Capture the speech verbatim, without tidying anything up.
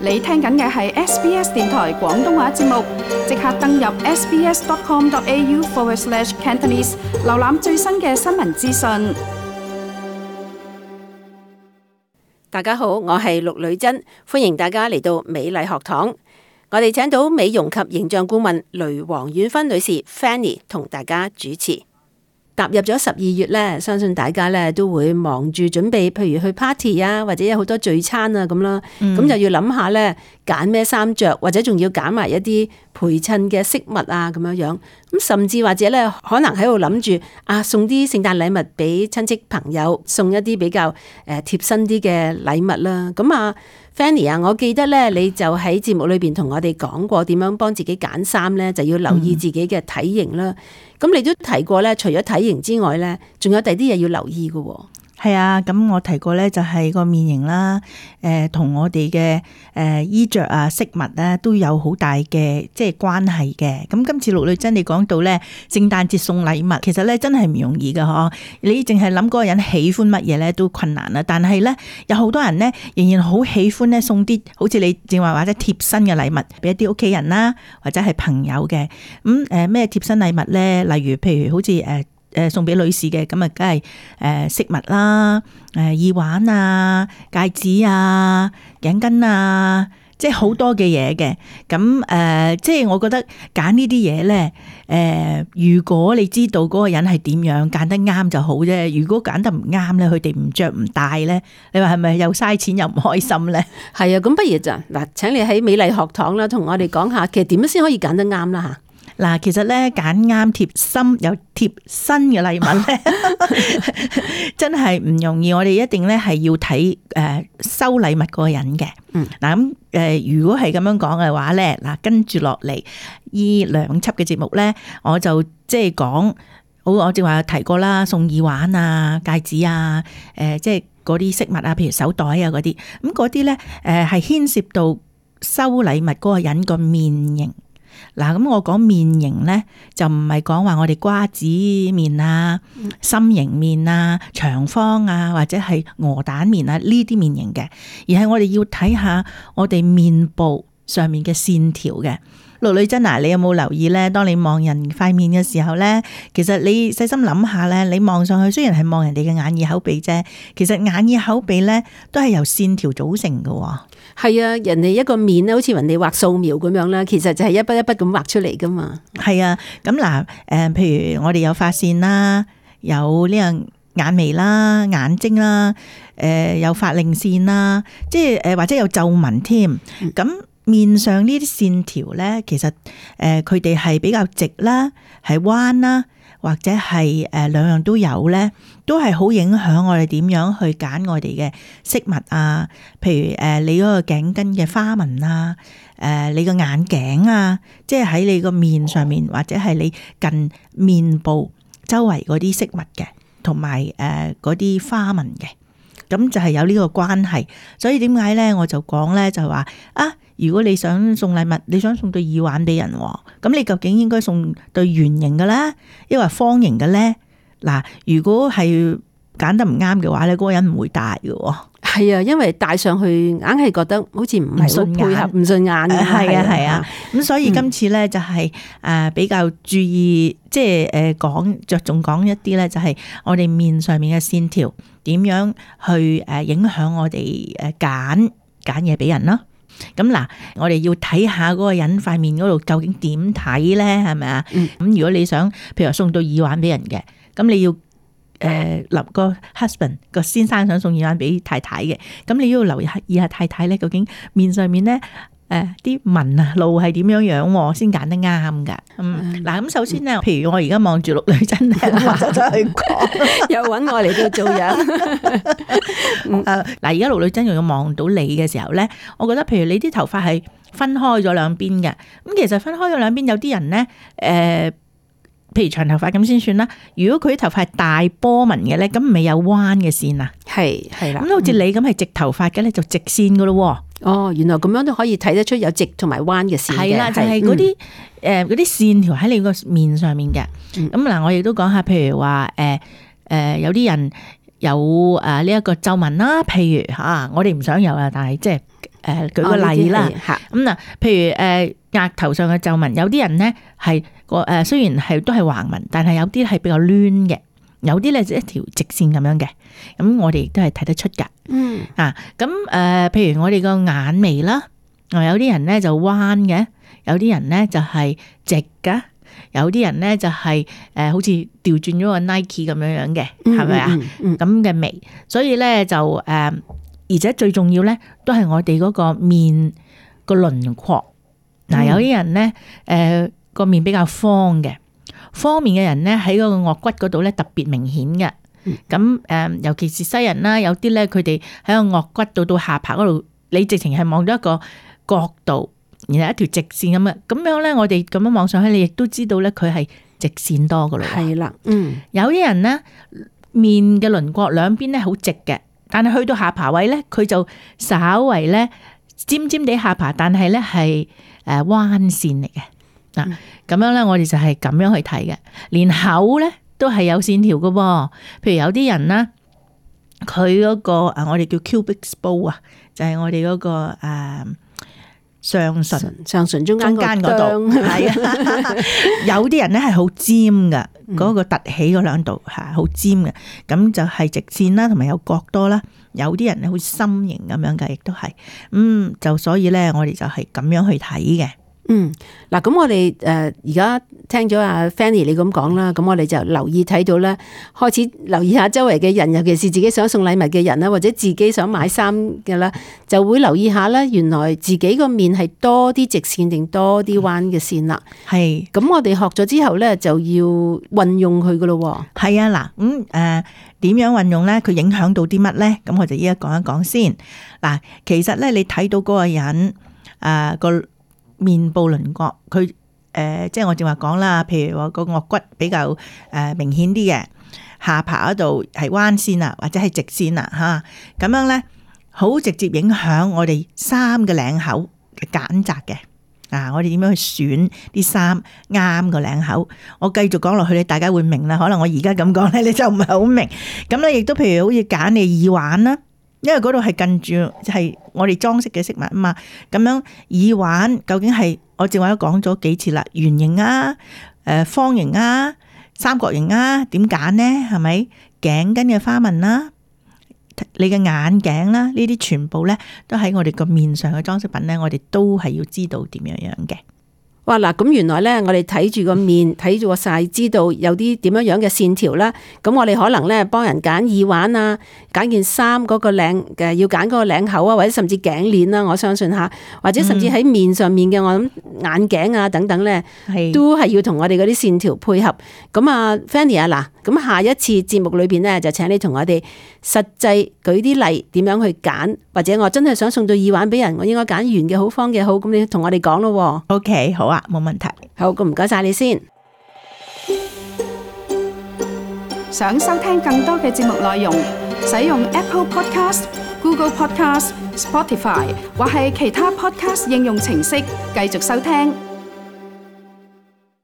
你聽緊嘅係 S B S 電台廣東話節目，即刻登入 sbs.com.au forward slash Cantonese， 瀏覽最新嘅新聞資訊。大家好，我係陸女珍，歡迎大家嚟到美麗學堂。我哋請到美容及形象顧問雷黃婉芬女士 Fanny 同大家主持。踏入咗十二月咧，相信大家咧都會忙住準備，譬如去 party 啊，或者有好多聚餐啊咁啦。咁、嗯、就要諗下咧，揀咩衫着，或者仲要揀埋一啲陪襯嘅飾物啊，咁樣樣。咁甚至或者咧，可能喺度諗住啊，送啲聖誕禮物俾親戚朋友，送一啲比較誒貼身啲嘅禮物啦。咁啊 ，Fanny 啊，我記得咧，你就喺節目裏邊同我哋講過點樣幫自己揀衫咧，就要留意自己嘅體型啦。咁、嗯、你都提過咧，除咗體型之外咧，仲有第啲嘢要留意嘅喎。係啊，咁我提過咧，就係個面型啦，誒、呃，同我哋嘅誒衣着啊、飾物咧，都有好大嘅即係關係嘅。咁今次陸女珍你講到咧，聖誕節送禮物，其實咧真係唔容易㗎嗬。你淨係諗嗰個人喜歡乜嘢咧，都困難啦。但係咧，有好多人咧，仍然好喜歡咧送啲好似你正話或者貼身嘅禮物俾一啲屋企人啦，或者係朋友嘅。咁誒咩貼身禮物咧？例如譬如好似誒。誒送俾女士嘅，咁啊，梗係誒飾物啦，誒耳環啊、戒指啊、頸巾啊，即係好多嘅嘢嘅。咁誒、呃，即係我覺得揀呢啲嘢咧，誒、呃，如果你知道嗰個人係點樣揀得啱就好啫。如果揀得唔啱咧，佢哋唔着唔戴咧，你話係咪又嘥錢又唔開心咧？係啊，咁不如就嗱，請你喺美麗學堂啦，同我哋講下，其實點樣先可以揀得啱啦嚇？嗱，其實咧揀啱貼心又貼身嘅禮物咧，真係唔容易。我哋一定咧係要睇誒收禮物嗰個人嘅。嗯，嗱咁誒，如果係咁樣講嘅話咧，嗱跟住落嚟依兩輯嘅節目咧，我就即係講好，我正話提過啦，送耳環啊、戒指啊，誒即係嗰啲飾物啊，譬如手袋啊嗰啲，咁嗰啲咧誒係牽涉到收禮物嗰個人個面型。嗱，咁我講面型咧，就唔係講話我哋瓜子面啊、心形面啊、長方啊，或者係鵝蛋面啊呢啲面型嘅，而係我哋要睇下我哋面部上面嘅線條嘅。陸女珍啊，你有冇留意咧？當你望人塊面嘅時候咧，其實你細心諗下咧，你望上去雖然係望人哋嘅眼耳口鼻啫，其實眼耳口鼻咧都係由線條組成嘅。係啊，人哋一個面咧，好似人哋畫素描咁樣啦，其實就係一筆一筆咁畫出嚟噶嘛。係啊，咁嗱，誒，譬如我哋有髮線啦，有呢樣眼眉啦、眼睛啦，誒，有法令線啦，即係誒，或者有皺紋添。咁、嗯、面上呢啲線條咧，其實誒，佢哋係比較直啦，係彎啦，或者係誒兩樣都有咧，都係好影響我哋點樣去揀我哋嘅飾物啊。譬如誒你嗰個頸巾嘅花紋啊，誒你個眼鏡啊，即係喺你個面上面或者係你近面部周圍嗰啲飾物嘅，同埋誒嗰啲花紋嘅，咁就係有呢個關係。所以點解咧，我就講咧就話啊，如果你想送禮物，你想送對耳環俾人，咁你究竟應該送對圓形嘅咧，抑或方形嘅咧？嗱，如果係揀得唔啱嘅話咧，嗰個人唔會戴嘅。係啊，因為戴上去硬係覺得好似唔係好配合，唔順眼嘅。係啊係啊，咁所以今次咧就係誒比較注意，即係誒講着重講一啲咧，就係我哋面上面嘅線條點樣去誒影響我哋誒揀揀嘢俾人咯。咁嗱，我哋要睇下嗰個人塊面嗰度究竟點睇咧，係咪啊？咁、嗯、如果你想，譬如話送到耳環俾人嘅，咁你要誒立個 husband 個先生想送耳環俾太太嘅，咁你要留意下太太咧，究竟面上面咧誒啲紋啊路係點樣樣先揀得啱噶。嗯，嗱咁首先咧，譬如我而家望住陸女珍咧，我就去講，又揾我嚟到做樣。誒，嗱，而家陸女珍又要望到你嘅時候咧，我覺得譬如你啲頭髮係分開咗兩邊嘅，咁其實分開咗兩邊，有啲人咧，誒、呃，譬如長頭髮咁先算啦。如果佢啲頭髮係大波紋嘅咧，咁咪有彎嘅線啊？係係啦，咁好似你咁係直頭髮嘅咧，就直線噶咯。哦，原來咁樣都可以睇得出有直同埋彎嘅線嘅。係啦，就係嗰啲誒嗰啲線條喺你個面上面嘅。咁嗱、嗯，我亦都講下，譬如話誒誒，有啲人有誒呢一個皺紋啦，譬如吓、啊，我哋唔想有啊，但係即係誒舉個例啦，咁嗱，譬如誒額頭上嘅皺紋，有啲人咧係個誒雖然係都係橫紋，但係有啲係比較攣嘅，有啲咧就一條直線咁樣嘅，咁我哋亦都係睇得出噶。嗯啊，咁誒，譬如我哋個眼眉啦，有啲人咧就彎嘅，有啲人咧就係直噶。有啲人咧就係誒好似調轉咗個 Nike 咁樣樣嘅，係咪啊？咁嘅眉，所以咧就誒，而且最重要咧都係我哋嗰個面個輪廓。嗱、嗯，有啲人咧誒個面比較方嘅，方面嘅人咧喺嗰個顎骨嗰度咧特別明顯嘅。咁誒、嗯，尤其是西人啦，有啲咧佢哋喺個顎骨度到下巴嗰度，你直情係望到一個角度。然後一條直線咁嘅，咁樣咧，我哋咁樣望上去，你亦都知道咧，佢係直線多噶咯。係啦，嗯，有啲人咧面嘅輪廓兩邊咧好直嘅，但係去到下巴位咧，佢就稍為咧尖尖地下巴，但係咧係誒彎線嚟嘅。嗱、嗯，咁樣咧，我哋就係咁樣去睇嘅。連口咧都係有線條噶噃，譬如有啲人咧，佢嗰個誒，我哋叫 cubic bow 啊，就係我哋嗰個誒。上唇上唇中間嗰度係啊，有啲人咧係好尖噶，嗰、嗯、個凸起嗰兩度係好尖嘅，咁就係直線啦，同埋有角多啦。有啲人咧好似心形咁樣嘅，亦都係，嗯，就所以咧，我哋就係咁樣去睇嘅。嗯，嗱，咁我哋誒而家聽咗阿 Fanny 你咁講啦，咁我哋就留意睇到咧，開始留意下周圍嘅人，尤其是自己想送禮物嘅人啦，或者自己想買衫嘅啦，就會留意下啦。原來自己個面係多啲直線定多啲彎嘅線啦。係，咁我哋學咗之後咧，就要運用佢噶咯。係啊，嗱，咁誒點樣運用咧？佢影響到啲乜咧？咁我就依家講一講先。嗱，其實咧，你睇到嗰個人誒個。呃面部輪廓，佢誒、呃，即係我正話講啦，譬如話個顎骨比較誒、呃、明顯啲嘅，下巴嗰度係彎線啊，或者係直線啊，吓咁樣咧，好直接影響我哋衫嘅領口嘅揀擇嘅。啊，我哋點樣去選啲衫啱個領口？我繼續講落去，你大家會明啦。可能我而家咁講咧，你就唔係好明。咁咧，亦都譬如好似揀你耳環啦。因為嗰度係近住係我哋裝飾嘅飾物啊嘛，咁樣耳環究竟係我正話都講咗幾次啦，圓形啊、誒方形啊、三角形啊，點揀呢？係咪頸巾嘅花紋啦、你嘅眼鏡啦，呢啲全部咧都喺我哋個面上嘅裝飾品咧，我哋都係要知道點樣樣嘅。哇嗱，咁原來咧，我哋睇住個面，睇住個晒，知道有啲點樣樣嘅線條啦。咁我哋可能咧幫人揀耳環啊，揀件衫嗰個領嘅，要揀嗰個領口啊，或者甚至頸鏈啦。我相信吓，或者甚至喺面上面嘅，我諗眼鏡啊等等咧，都係要同我哋嗰啲線條配合。咁啊 Fanny 啊，嗱，咁下一次節目裏邊咧，就請你同我哋實際舉啲例，點樣去揀，或者我真係想送對耳環俾人，我應該揀圓嘅好，方嘅好，咁你同我哋講咯。OK， 好啊。冇問題，好，咁唔該晒你先。想收聽更多嘅節目內容，使用 Apple Podcast、Google Podcast、Spotify 或係其他 Podcast 應用程式繼續收聽。